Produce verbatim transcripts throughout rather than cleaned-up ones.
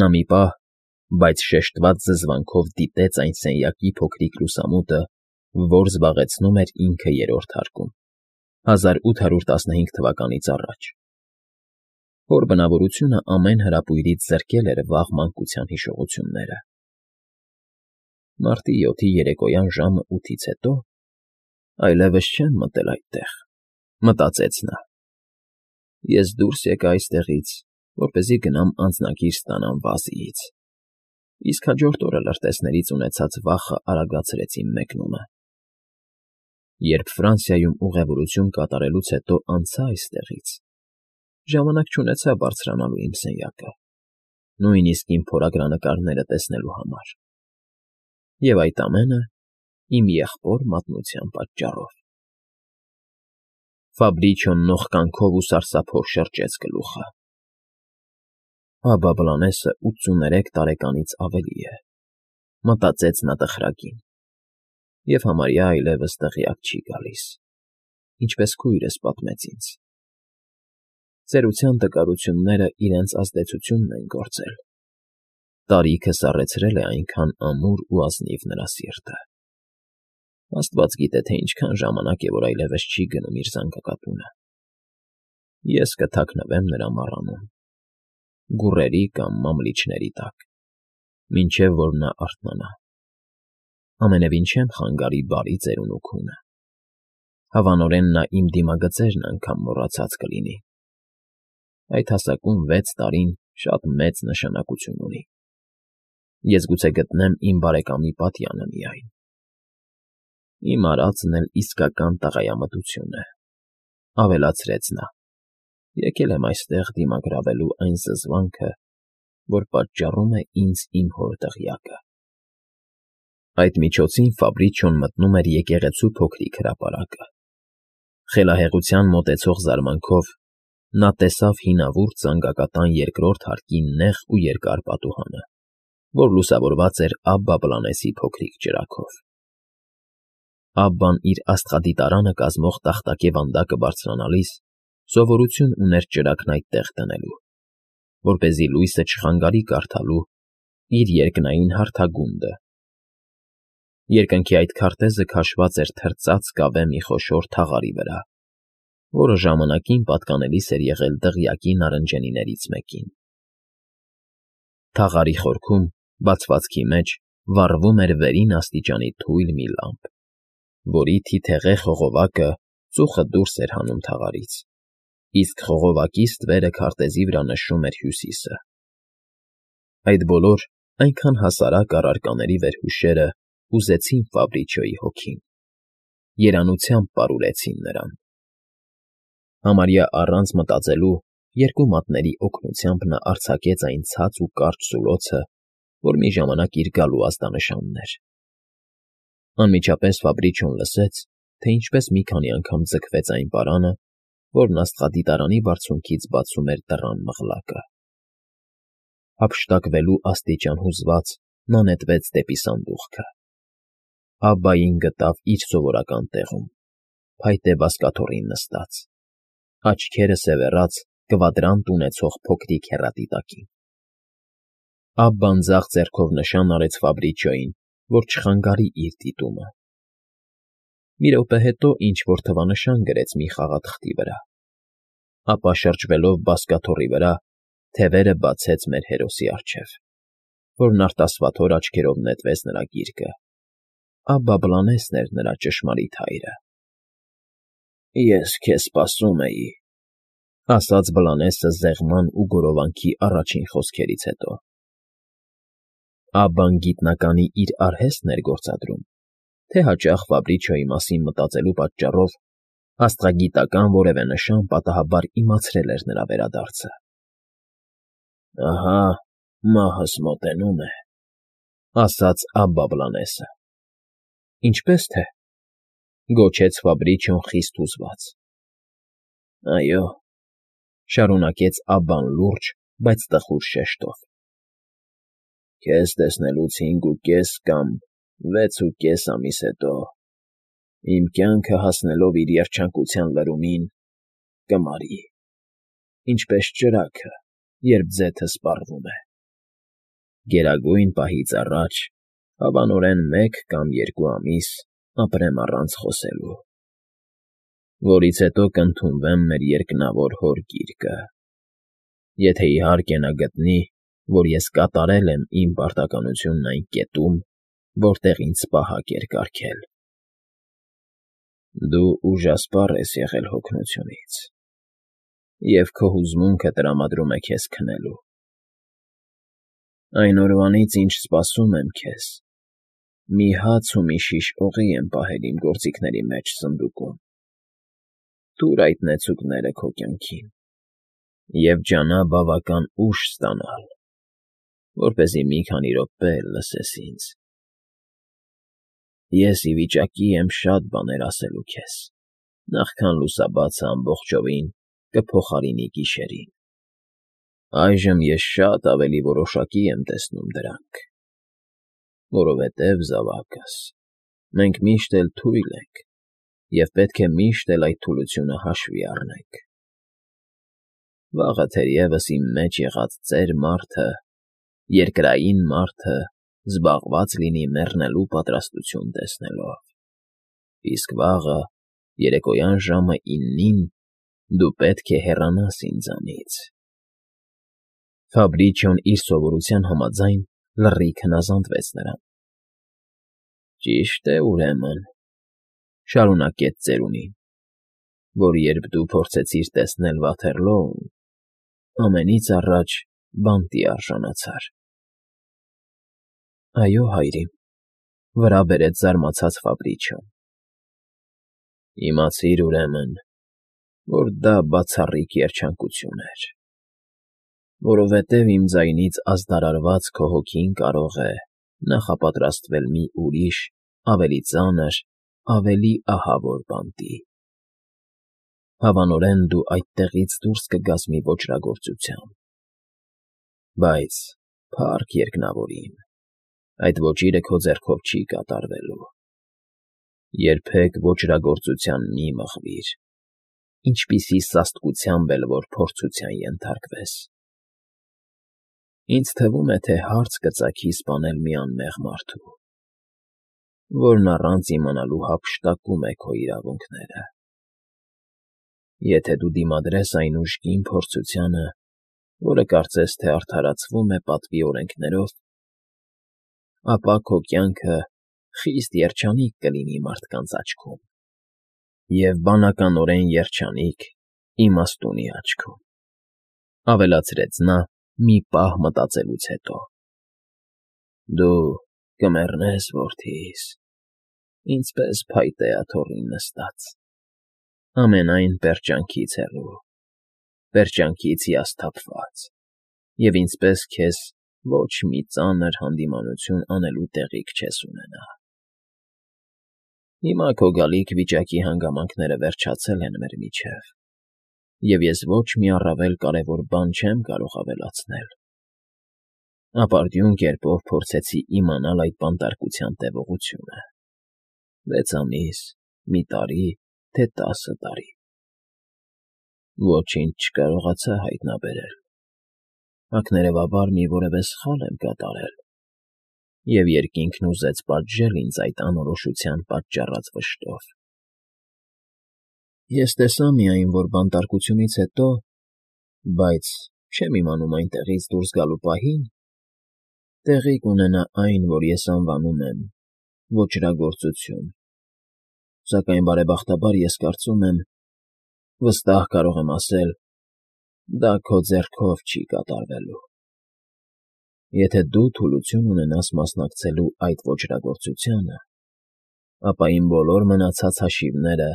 Նա մի պահ, բայց շեշտված զզվանքով դիտեց այն սենյակի փոքրիկ լուսամուտը, որ զբաղեցնում էր ինքը Երրորդ հարկում, հազար ութ հարյուր տասնհինգ թվականից առաջ, որ բնավորությունը ամեն հրապույրից զրկել էր վաղ մանկության հիշողությունները։ Մարտի յոթի երեկոյան ժամը ութից հետո այլևս չեմ մտել այդտեղ, մտածեց նա. ես դուրս եկա այստեղից, որպեսզի գնամ անձնագիր ստանամ Վազիից, իսկ հաջորդ օրը լրտեսներից ունեցած վախը արագացրեց իմ մեկնումը։ Երբ Ֆրանսիայում ուղևորություն կատարելուց հետո անցա այստեղից, ժամանակ չունեցա բարձրանալու իմ սենյակը, նույնիսկ իմ փորագրանկարները տեսնելու համար, և այդ ամենը իմ եղբոր մատնության պատճառով։ Ֆաբրիչոն նողկանքով ու սարսափով շրջեց գլուխը։ Աբա Բլանեսը ութսուներեք տարեկանից ավելի է, մտածեց նա տխրագին, և համարյա այլևս տեղյակ չի գալիս, ինչպես քույրս պատմեց ինձ. ծերության տկարությունները իրենց ազդեցությունն են գործել, տարիքը սառեցրել է այնքան ամուր ու ազնիվ նրա սիրտը։ Աստված գիտե, թե ինչքան ժամանակ է, որ այլևս չի գնում իր զանգակատունը։ Ես կթաքնվեմ նրա մառանում, գուռերի կամ մամլիչների տակ, մինչև որ նա արթնանա։ Ամենևին չեմ խանգարի բարի ծերունուքունը։ Հավանորեն նա իմ դիմագծերն անգամ մոռացած կլինի։ Այդ հասակում վեց տարին շատ մեծ նշանակություն ունի։ Ես գուցե գտնեմ իմ բարեկամի պատյանը միայն։ Իմ արածն էլ իսկական տղայամտություն է, ավելացրեց նա, եկել եմ այստեղ դիմագրավելու այն զզվանքը, որ պատճառում է ինձ իմ հոր դղյակը։ Այդ միջոցին Ֆաբրիչոն մտնում էր եկեղեցու փոքրիկ հրապարակը։ Խելահեղության մոտեցող զարմանքով նա տեսավ հինավուրց զանգակատան երկրորդ հարկի նեղ ու երկար պատուհանը, որ լուսավորված էր Աբբա Բլանեսի փոքրիկ ճրագով։ Աբբան իր աստղադիտարանը կազմող տախտակե վանդակը բարձրանալիս սովորություն ուներ ճրագն այդտեղ դնելու, որպեսզի լույսը չխանգարի կարդալու իր երկնային հարթագունդը։ Երկնքի այդ քարտեզը քաշված էր թրծած կավե մի խոշոր թաղարի վրա, որը ժամանակին պատկանելիս էր եղել դղյակի նարնջենիներից մեկին։ Թաղարի խորքում, բացվածքի մեջ, վառվում էր վերին աստիճանի թույլ մի լամպ, որի թիթեղե խողովակը ծուխը դուրս էր հանում թաղարից, իսկ խողովակի ստվերը քարտեզի վրա նշում էր հյուսիսը։ Այդ բոլոր այնքան հասարակ առարկաների վերհուշերը ուզեցին Ֆաբրիչոյի հոգին, երանությամբ պարուրեցին նրան։ Համարյա առանց մտածելու երկու մատների օգնությամբ նա արձակեց այն ցած ու կարճ զուլոցը, որ մի ժամանակ իր գալու ազդանշանն էր։ Անմիջապես Ֆաբրիչոն լսեց, թե ինչպես մի քանի անգամ ձգվեց այն պարանը, որն աստղադիտարանի բարձունքից բացում էր դռան մղլակը։ Հափշտակվելու աստիճան հուզված նա նետվեց դեպի սանդուղքը։ Աբբային գտավ իր սովորական տեղում, փայտե բազկաթոռին նստած, աչքերը սևեռած կվադրանտ ունեցող փոքրիկ հեռատիտակին։ Աբբան ձախ ձեռքով նշան արեց Ֆաբրիչոյին, որ չխանգարի իր դիտումը։ Մի րոպե հետո ինչ֊որ թվանշան գրեց մի խաղաթղթի վրա, ապա շրջվելով բազկաթոռի վրա, թևերը բացեց մեր հերոսի առջև, որն արտասվաթոր աչքերով նետվեց նրա գիրկը։ Աբբա Բլանեսն էր նրա ճշմարիտ հայրը։ «Ես քեզ սպասում էի», ֊ ասաց Բլանեսը զեղման ու գորովանքի առաջին խոսքերից հետո։ Աբբան գիտնականի իր արհեստն էր գործադրում, թե հաճախ Ֆաբրիչոյի մասին մտածելու պատճառով աստղագիտական որևէ նշան պատահաբար իմացրել էր նրա վերադարձը։ «Ահա մահս մոտենում է», ֊ ասաց Աբբա Բլանեսը։ «Ինչպե՞ս թե», ֊ գոչեց Ֆաբրիչոն խիստ հուզված։ «Այո», ֊ շարունակեց Աբբան լուրջ, բայց տխուր շեշտով։ «Քեզ տեսնելուց հինգ ու կես կամ վեց ու կես ամիս հետո, իմ կյանքը հասնելով իր երջանկության լրումին, կմարի, ինչպես ճրագը, երբ ձեթը սպառվում է։ գերագույն պահից առաջ հավանորեն մեկ կամ երկու ամիս ապրեմ առանց խոսելու, որից հետո կընդունվեմ մեր երկնավոր Հոր գիրկը, եթե իհարկե նա գտնի, որ ես կատարել եմ իմ պարտականությունն այն կետում, որտեղ ինձ պահակ էր կարգել։ Դու ուժասպառ ես եղել հոգնությունից, և քո հուզմունքը տրամադրում է քեզ քնելու։ Այն օրվանից, ինչ սպասում եմ քեզ, մի հաց ու մի շիշ օղի եմ պահել իմ գործիքների մեջ սնդուկում, տուր այդ նեցուկները քո կյանքին և ջանա բավական ուժ ստանալ, որպեսզի մի քանի րոպե էլ լսես ինձ։ Ես ի վիճակի եմ շատ բաներ ասելու քեզ, նախքան լուսաբացը ամբողջովին կփոխարինի գիշերին։ Այժմ ես շատ ավելի որոշակի եմ տեսնում դրանք, որովհետև, զավակս, մենք միշտ էլ թույլ ենք և պետք է միշտ էլ այդ թուլությունը հաշվի առնենք։ Վաղը թերևս իմ մեջ եղած ծեր մարդը, երկրային մարդը զբաղված լինի մեռնելու պատրաստություն տեսնելով, իսկ վաղը, երեկոյան ժամը իննին դու պետք է հեռանաս ինձանից։ Ֆաբրիչոն իր սովորության համաձայն լռիվ հնազանդվեց նրան։ Ճիշտ է, ուրեմն, շարունակեց ծերունին, որ երբ դու փորձեցիր տեսնել Վաթեռլոուն, ամենից առաջ բանտի արժանացար։ Այո, հայրիկ, վրա բերեց զարմացած Ֆաբրիչոն։ Իմացիր, ուրեմն, որ դա բացառիկ երջանկություն էր, որովհետև իմ ձայնից ազդարարված քո հոգին կարող է նախապատրաստվել մի ուրիշ, ավելի ծանր, ավելի ահավոր բանտի։ Հավանորեն դու այդտեղից դուրս կգաս մի ոճրագործությամբ, բայց, փառք երկնավորին, այդ ոճիրը քո ձեռքով չի կատարվելու։ Երբեք ոճրագործության մի մղվիր, ինչպիսի սաստկությամբ էլ որ փորձության ենթարկվես։ Ինձ թվում է, թե հարց կծագի սպանել մի անմեղ մարդու, որն առանց իմանալու հափշտակում է քո իրավունքները։ Եթե դու դիմադրես այն ուժգին փորձությանը, որը կարծես թե արդարացվում է պատվի օրենքներով, ապա քո կյանքը խիստ երջանիկ կլինի մարդկանց աչքում և բանականորեն երջանիկ իմաստունի աչքում, ավելացրեց նա մի պահ մտածելուց հետո։ Դու կմեռնես, որդիս, ինձպես փայտե աթոռին նստած, ամենայն պերճանքից հեռու, պերճանքից հիասթափված, և ինձպես քեզ ոչ մի ծանր հանդիմանություն անելու տեղիք չես ունենա։ Հիմա քո գալիք վիճակի հանգամանքները վերջացել են մեր միջև, և ես ոչ մի առավել կարևոր բան չեմ կարող ավելացնել։ Ապարդյուն կերպով փորձեցի իմանալ այդ բանտարկության տևողությունը՝ վեց ամիս, մի տարի, թե տասը տարի։ Ոչինչ չկարողացա հայտնաբերել, ակներևաբար մի որևէ սխալ եմ կատարել, և երկինքն ուզեց պատժել ինձ այդ անորոշության պատճառած վշտով։ Ես տեսա միայն, որ բանտարկությունից հետո, բայց չեմ իմանում այնտեղից դուրս գալու պահին, տեղի կունենա այն, որ ես անվանում եմ ոճրագործություն, սակայն, բարեբախտաբար, ես կարծում եմ, վստահ կարող եմ ասել, դա քո ձեռքով չի կատարվելու։ Եթե դու թուլություն ունենաս մասնակցելու այդ ոճրագործությանը, ապա իմ բոլոր մնացած հաշիվները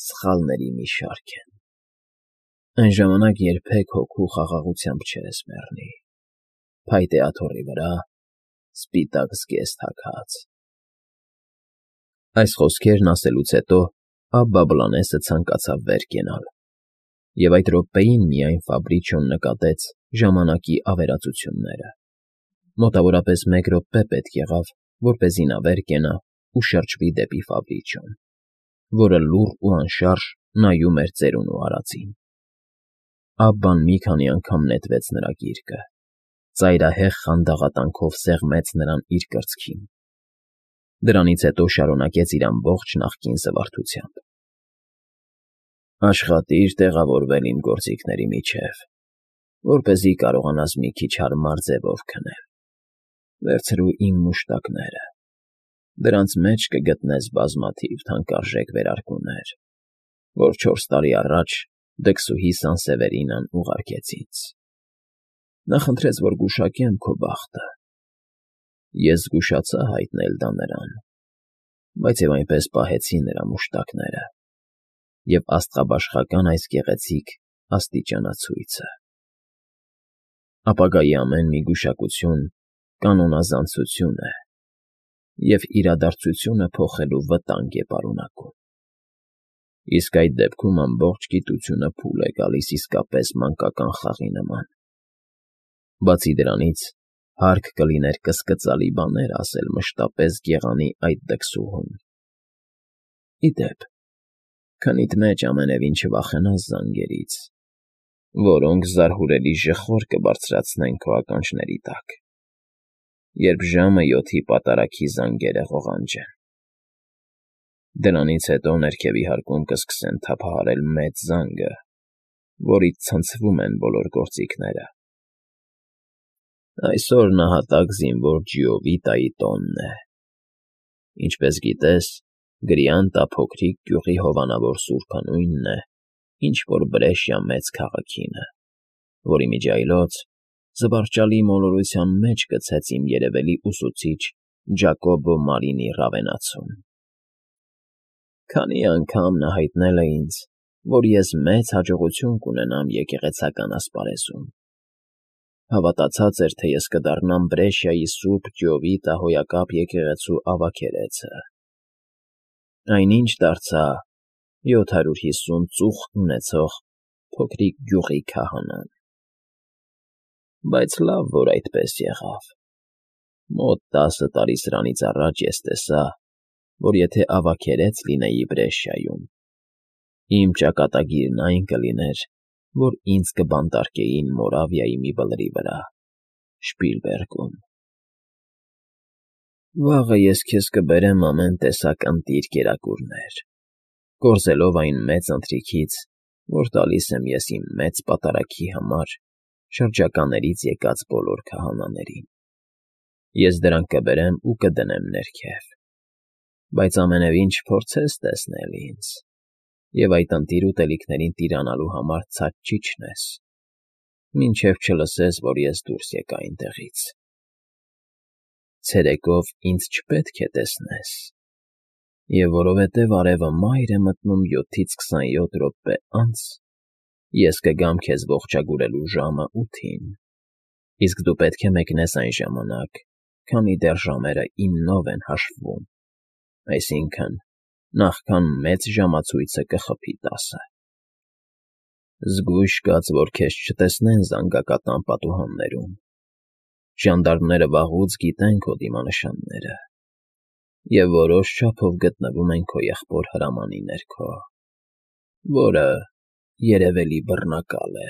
սխալների մի շարք են։ Այն ժամանակ երբեք հոգու խաղաղությամբ չես մեռնի, փայտե աթոռի վրա, սպիտակ զգեստ հագած։ Այս խոսքերն ասելուց հետո Աբբա֊Բլանեսը ցանկացավ վեր կենալ, և այդ րոպեին միայն Ֆաբրիչոն նկատեց ժամանակի ավերածությունները։ Մոտավորապես մեկ րոպե պետք եղավ, որպեսզի նա վեր կենա ու շրջվի դեպի Ֆաբրիչոն, որը լուռ ու անշարժ նայում էր ծերունու արածին։ Աբբան մի քանի անգամ նետվեց նրա գիրկը, ծայրահեղ խանդաղատանքով սեղմեց նրան իր կրծքին, դրանից հետո շարունակեց իր ամբողջ նախկին զվարթությամբ. «Աշխատիր տեղավորվել իմ գործիքների միջև, որպեսզի կարողանաս մի քիչ հարմար ձևով քնել, վերցրու իմ մուշտակները, դրանց մեջ կգտնես բազմաթիվ թանկարժեք վերարկուներ, որ չորս տարի առաջ դքսուհի Սանսևերինան ուղարկեց ինձ. նա խնդրեց, որ գուշակեմ քո բախտը, ես զգուշացա հայտնել դա նրան, բայց և այնպես պահեցի նրա մուշտակները և աստղաբաշխական այս գեղեցիկ աստիճանացույցը։ Ապագայի ամեն մի գուշակություն կանոնազանցություն է և իրադարձությունը փոխելու վտանգ է պարունակում, իսկ այդ դեպքում ամբողջ գիտությունը փուլ է գալիս իսկապես մանկական խաղի նման։ Բացի դրանից, հարկ կլիներ կսկծալի բաներ ասել մշտապես գեղանի այդ դքսուհուն։ Ի դեպ, քնիդ մեջ ամենևին չվախենաս զանգերից, որոնք զարհուրելի ժխոր կբարձրացնեն քո ականջների տակ, երբ ժամը յոթի պատարագի զանգերը ղողանջեն։ Դրանից հետո ներքևի հարկում կսկսեն թափահարել մեծ զանգը, որից ցնցվում են բոլոր գործիքները։ Այսօր նահատակ զինվոր Ջիովիտայի տոնն է։ Ինչպես գիտես, Գրիանտա փոքրիկ գյուղի հովանավոր սուրբը նույնն է, ինչ որ Բրեշիա մեծ քաղաքինը, որի միջիայլոց զվարճալի մոլորության մեջ գցեց իմ երևելի ուսուցիչ Ջակոբո Մարինի Ռավենացուն։ Քանի անգամ նա հայտնել է ինձ, որ ես մեծ հաջողություն կունենամ եկեղեցական ասպարեզում, հավատացած էր, թե ես կդառնամ Բրեշիայի Սուրբ Ջիովիտա հոյակապ եկեղեցու ավագերեցը, այնինչ դարձա յոթ հարյուր հիսուն ծուխ ունեցող փոքրիկ գյուղի քահանան։ Բայց լավ, որ այդպես եղավ։ Մոտ տասը տարի սրանից առաջ ես տեսա, որ եթե ավագերեց լինեի Բրեշիայում, իմ ճակատագիրն այն կլիներ, որ ինձ կբանտարկեին Մորավիայի մի բլրի վրա, Շպիլբերգում։ Վաղը ես քեզ կբերեմ ամեն տեսակ ընտիր կերակուրներ, կորզելով այն մեծ ընթրիքից, որ տալիս եմ ես իմ մեծ պատարագի համար շրջականերից եկած բոլոր քահանաներին։ Ես դրանք կբերեմ ու կդնեմ ներքև, բայց ամենևին չփորձես տեսնել ինձ, և այդ ընտիր ուտելիքներին տիրանալու համար ցած չիջնես, մինչև չլսես, որ ես դուրս եկա այնտեղից։ Ցերեկով ինձ չպետք է տեսնես, և որովհետև արևը մայր է մտնում յոթից քսանյոթ րոպե անց, ես կգամ քեզ ողջագուրելու ժամը ութին, իսկ դու պետք է մեկնես այն ժամանակ, քանի դեռ ժամերը իննով են հաշվվում, այսինքն՝ նախքան մեծ ժամացույցը կխփի տասը։ Զգույշ կաց, որ քեզ չտեսնեն զանգակատան պատուհաններում, ժանդարմները վաղուց գիտեն քո դիմանշանները և որոշ չափով գտնվում են քո եղբոր հրամանի ներքո, որը երևելի բռնակալ է։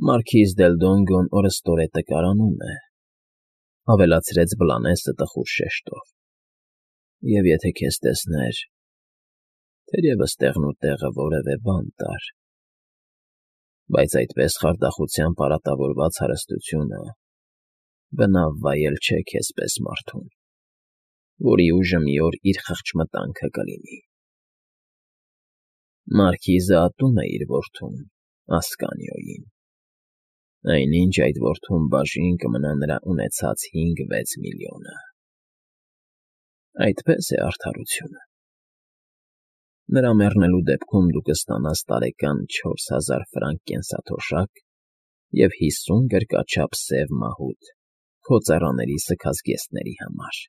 Մարքիզ դել Դոնգոն օրըստօրե տկարանում է,֊ ավելացրեց Բլանեսը տխուր շեշտով,֊ և եթե քեզ տեսներ, թերևս տեղնուտեղը որևէ բան տար, բայց այդպես խարդախությամբ արատավորված հարստությունը բնավ վայել չէ քեզ պես մարդուն, որի ուժը մի օր իր խղճմտանքը կլինի։ Մարքիզը ատում է իր որդուն՝ Ասկանիոյին, այնինչ այդ որդուն բաժին կմնա նրա ունեցած հինգ֊վեց միլիոնը։ Այդպես է արդարությունը։ Նրա մեռնելու դեպքում դու կստանաս տարեկան չորս հազար ֆրանկ կենսաթոշակ և հիսուն գրկաչափ սև մահուդ քո ծառաների սգազգեստների համար։